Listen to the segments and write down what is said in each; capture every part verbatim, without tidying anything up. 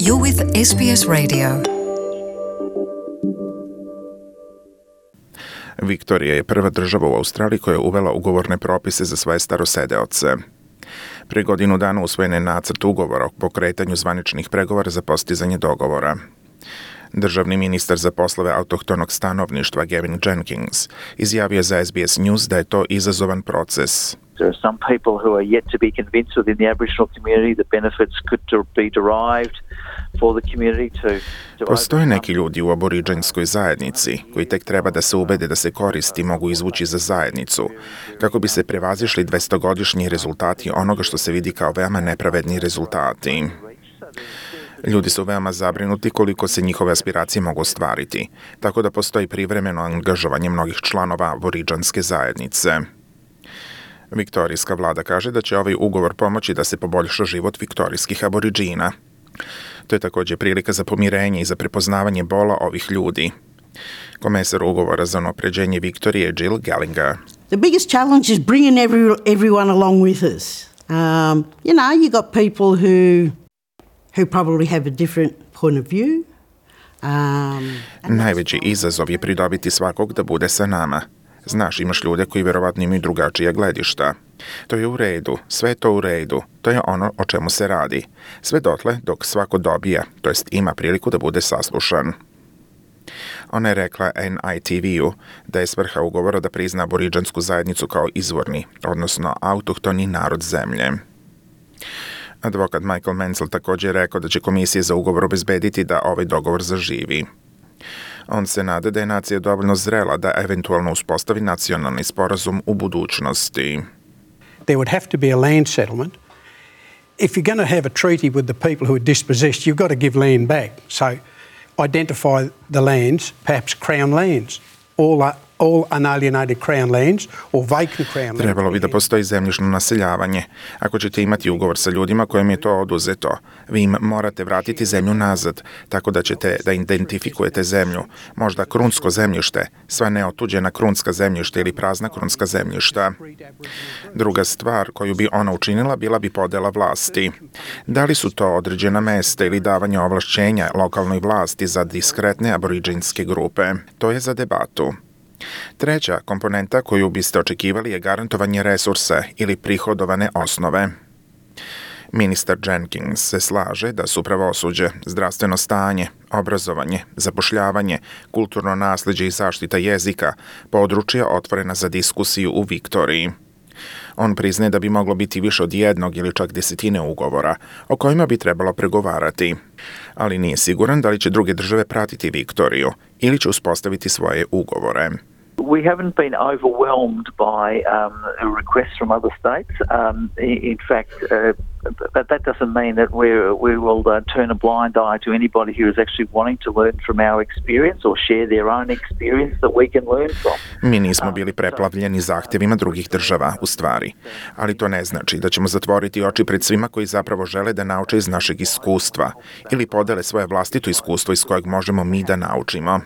You're with S B S Radio. Viktorija je prva država u Australiji koja je uvela ugovorne propise za svoje starosedeoce. Prije godinu dana usvojen je nacrt ugovora o pokretanju zvaničnih pregovora za postizanje dogovora. Državni ministar za poslove autohtonog stanovništva Gavin Jenkins izjavio za S B S News da je to izazovan proces. There are some people who are yet to be convinced within the Aboriginal community that benefits could be derived for the community to, to Postoje neki ljudi u aboriđanskoj zajednici koji tek treba da se ubede da se koristi mogu izvući za zajednicu, kako bi se prevazišli dvestogodišnji rezultati onoga što se vidi kao veoma nepravedni rezultati. Ljudi su veoma zabrinuti koliko se njihove aspiracije mogu ostvariti, tako da postoji privremeno angažovanje mnogih članova aboriđanske zajednice. Viktorijska vlada kaže da će ovaj ugovor pomoći da se poboljša život viktorijskih aboriđina. To je također prilika za pomirenje i za prepoznavanje bola ovih ljudi. Komesar ugovora za unapređenje Viktorije Jill Gallagher. The biggest challenge is bringing every, everyone along with us. Um, you know, you got people who who probably have a different point of view. Um, Najveći izazov je pridobiti svakog da bude sa nama. Znaš, imaš ljude koji vjerovatno imaju drugačije gledišta. To je u redu, sve je to u redu, to je ono o čemu se radi. Sve dotle dok svako dobija, to jest ima priliku da bude saslušan. Ona je rekla N I T V-u da je svrha ugovora da prizna aboriđansku zajednicu kao izvorni, odnosno autohtoni narod zemlje. Advokat Michael Menzel također je rekao da će komisija za ugovor obezbediti da ovaj dogovor zaživi. On se nada da je nacija dovoljno zrela da eventualno uspostavi nacionalni sporazum u budućnosti. There would have to be a land settlement. If you're going to have a treaty with the people who are dispossessed, you've got to give land back. So identify the lands, perhaps crown lands, all are all unalienated crown lands or vacant crown lands. Trebalo bi da postoji zemljišno naseljavanje. Ako ćete imati ugovor sa ljudima kojim je to oduzeto, vi im morate vratiti zemlju nazad, tako da ćete da identifikujete zemlju, možda krunsko zemljište, sva neotuđena krunska zemljišta ili prazna krunska zemljišta. Druga stvar koju bi ona učinila bila bi podela vlasti. Da li su to određena mesta ili davanje ovlašćenja lokalnoj vlasti za diskretne aboriđinske grupe? To je za debatu. Treća komponenta koju biste očekivali je garantovanje resursa ili prihodovane osnove. Ministar Jenkins se slaže da su pravosuđe, zdravstveno stanje, obrazovanje, zapošljavanje, kulturno naslijeđe i zaštita jezika područja otvorena za diskusiju u Viktoriji. On priznaje da bi moglo biti više od jednog ili čak desetine ugovora o kojima bi trebalo pregovarati, ali nije siguran da li će druge države pratiti Viktoriju ili će uspostaviti svoje ugovore. We haven't been overwhelmed by um, requests from other states. Um, in fact, uh, but that doesn't mean that we're, we will uh, turn a blind eye to anybody who is actually wanting to learn from our experience or share their own experience that we can learn from. Mi nismo bili preplavljeni zahtjevima drugih država, u stvari, ali to ne znači da ćemo zatvoriti oči pred svima koji zapravo žele da nauče iz našeg iskustva ili podele svoje vlastito iskustvo iz kojeg možemo mi da naučimo.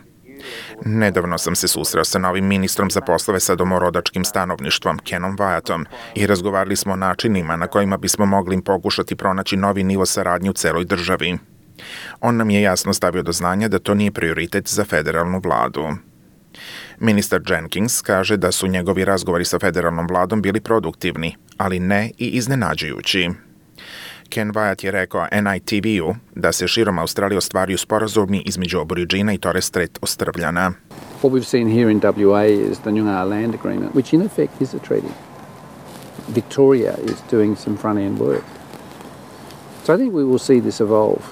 Nedavno sam se susreo sa novim ministrom za poslove sa domorodačkim stanovništvom, Kenom Wyatom, i razgovarali smo o načinima na kojima bismo mogli im pokušati pronaći novi nivo saradnje u celoj državi. On nam je jasno stavio do znanja da to nije prioritet za federalnu vladu. Ministar Jenkins kaže da su njegovi razgovori sa federalnom vladom bili produktivni, ali ne i iznenađujući. Ken Wyatt je rekao N I T V-u da se širom Australije ostvaruju sporazumi između Aboriđina i Torres Strait Ostrvljana. What we've seen here in W A is the Noongar Land Agreement, which in effect is a treaty. Victoria is doing some front-end work. So I think we will see this evolve.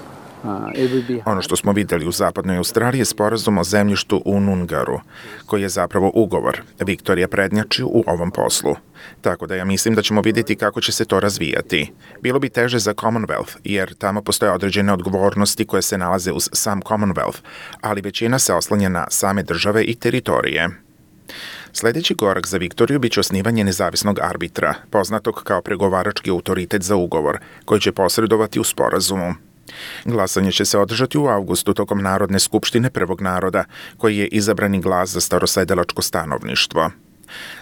Ono što smo vidjeli u zapadnoj Australiji je sporazum o zemljištu u Noongaru, koji je zapravo ugovor. Viktorija prednjači u ovom poslu. Tako da ja mislim da ćemo vidjeti kako će se to razvijati. Bilo bi teže za Commonwealth, jer tamo postoje određene odgovornosti koje se nalaze uz sam Commonwealth, ali većina se oslanja na same države i teritorije. Sljedeći korak za Viktoriju biće osnivanje nezavisnog arbitra, poznatog kao pregovarački autoritet za ugovor, koji će posredovati u sporazumu. Glasanje će se održati u avgustu tokom Narodne skupštine prvog naroda, koji je izabrani glas za starosedelačko stanovništvo.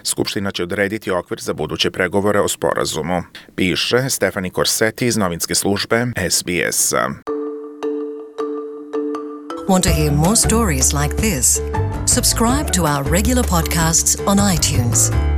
Skupština će odrediti okvir za buduće pregovore o sporazumu, piše Stephanie Corsetti iz novinske službe S B S-a. Want to hear more stories like this? Subscribe to our regular podcasts on iTunes.